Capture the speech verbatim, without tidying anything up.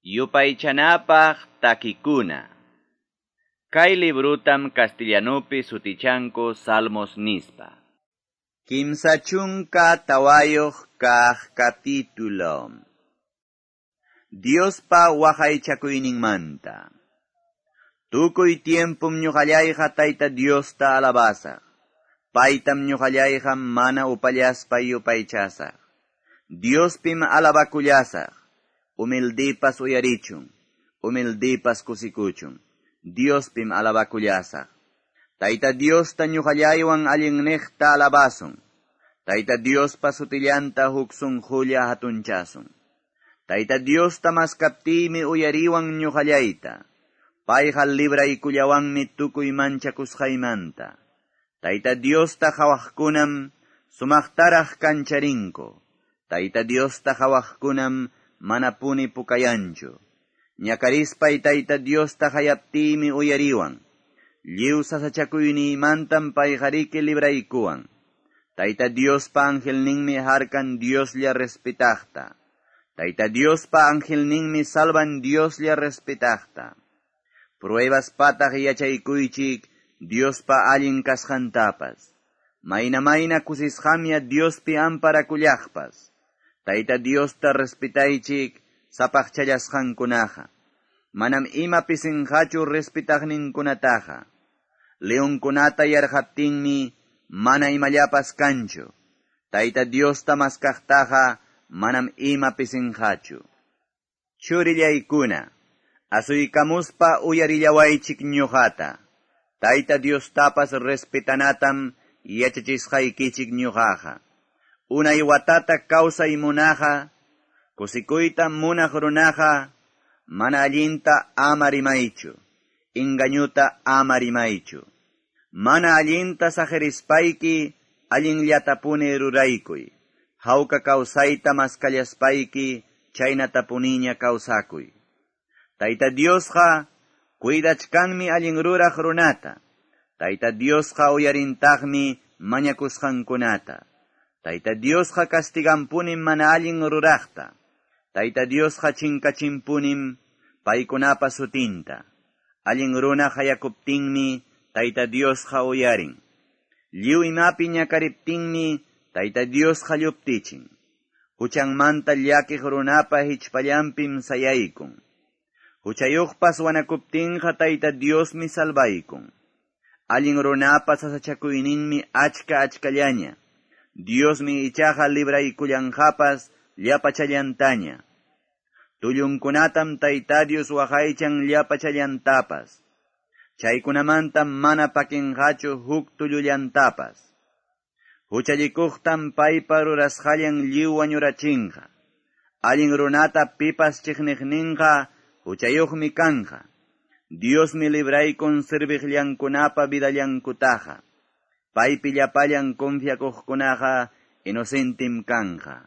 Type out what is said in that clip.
Yupaychanapaq takikuna. Kay librutam castellanupi sutichanku Salmos nispa. Kimsa chunka tawayuq kaq capítulo. Diospa waqaychakuyninmanta. Tukuy tiempum ñuqallayqa Tayta Diosta alabasaq. Paytam ñuqallayqa mana upallaspa yupaychasaq. Diospim alabakullasaq. Humildipas uyarichun, humildipas kusikuchun. Diospim alabakullasaq. Tayta Diosta ñuqallaywan allinniqta alabasun. Tayta Diospa sutillanta huk sunqulla hatunchasun. Tayta Diosta maskaptiymi uyariwan ñuqallayta. Payqa libraykullawanmi tukuy manchakusqaymanta. Tayta Diosta qhawaqkunam sumaqtaraq kancharinku. Tayta Diosta qhawaqkunam manapuni pukayanchu. Ñakarispay Tayta Diosta hayaptiymi uyariwan. Lliw sasachakuyniymantam payqariki libraykuwan. Tayta Diospa angelninmi harkan Dioslla respetaqta. Tayta Diospa angelninmi salvan Dioslla respetaqta. Pruebas pataq yachaykuychik Diospa allin kasqantapas. Mayna mayna kusisqamya Diospi amparakullaqpas. Tayta Diosta respetaychik sapaqchallasqankunaqa. Manam ima pisinqachu respetaqninkunataqa. Leonkunata yarqaptinmi mana imallapas kanchu. Tayta Diosta maskaqtaqa manam ima pisinqachu. Churillaykuna, asuykamuspa uyarillawaychik ñuqata. Tayta Diostapas respetanatam yachachisqaykichik ñuqaqa. Unay watata kawsay munaqa, kusikuyta munaq runaqa, mana allinta ama rimaychu, engañuta ama rimaychu. Mana allinta saqirispayki allinllatapuni ruraykuy. Hawka kawsayta maskallaspayki chaynatapuniña kawsakuy. Tayta Diosqa cuidachkanmi allin ruraq runata. Tayta Diosqa uyarintaqmi mañakusqankunata. Tayta Diosqa castiganpunim mana allin ruraqta. Tayta Diosqa chinkachinpunim paykunapa sutinta. Allin runa hayakuptinmi Tayta Diosqa uyarin. Lliw imapi ñakariptinmi Tayta Diosqa lluptichin. Huchanmanta llakiq runapa hichpallanpim sayaykun. Huchayuqpas wanakuptinqa Tayta Diosmi salvaykun. Allin runapa sasachakuyninmi achka achkallaña. Diosmi ichaqa libraykullanqapas llapachallantaña. Tullunkunatam Tayta Dios waqaychan llapachallantapas. Chaykunamanta mana pakinqachu huk tullullantapas. Huchallikuqtam paypa rurasqallan lliw wañurachinqa. Allin runata pipas chiqniqninqa huchayuqmi kanqa. Diosmi libraykun serviqllankunapa vidallankutaqa. Paypi llapallan confiakuqkunaqa inocentim kanqa.